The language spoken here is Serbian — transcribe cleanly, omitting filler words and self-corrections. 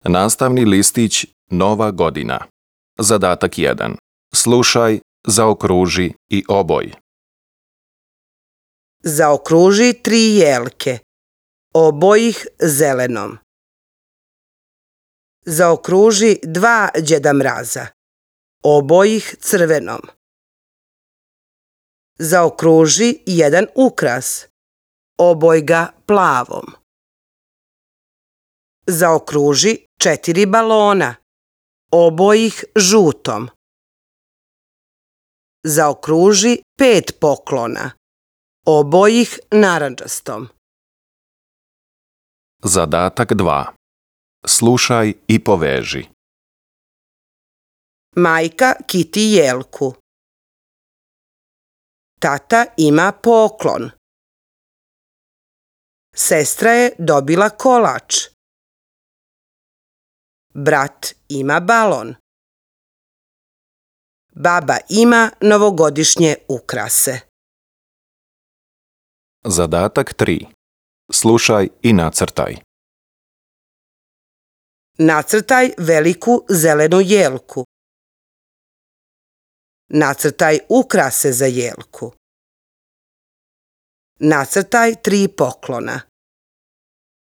Nastavni listić Nova godina. Zadatak 1. Slušaj, zaokruži i oboj. Zaokruži 3 jelke, oboj ih zelenom. Zaokruži 2 Đeda Mraza, oboj ih crvenom. Zaokruži 1 ukras, oboj ga plavom. Zaokruži 4 balona, oboj ih žutom. Zaokruži 5 poklona, oboj ih narandžastom. Zadatak 2. Slušaj i poveži. Majka kiti jelku. Tata ima poklon. Sestra je dobila kolač. Brat ima balon. Baba ima novogodišnje ukrase. Zadatak 3. Slušaj i nacrtaj. Nacrtaj veliku zelenu jelku. Nacrtaj ukrase za jelku. Nacrtaj 3 poklona.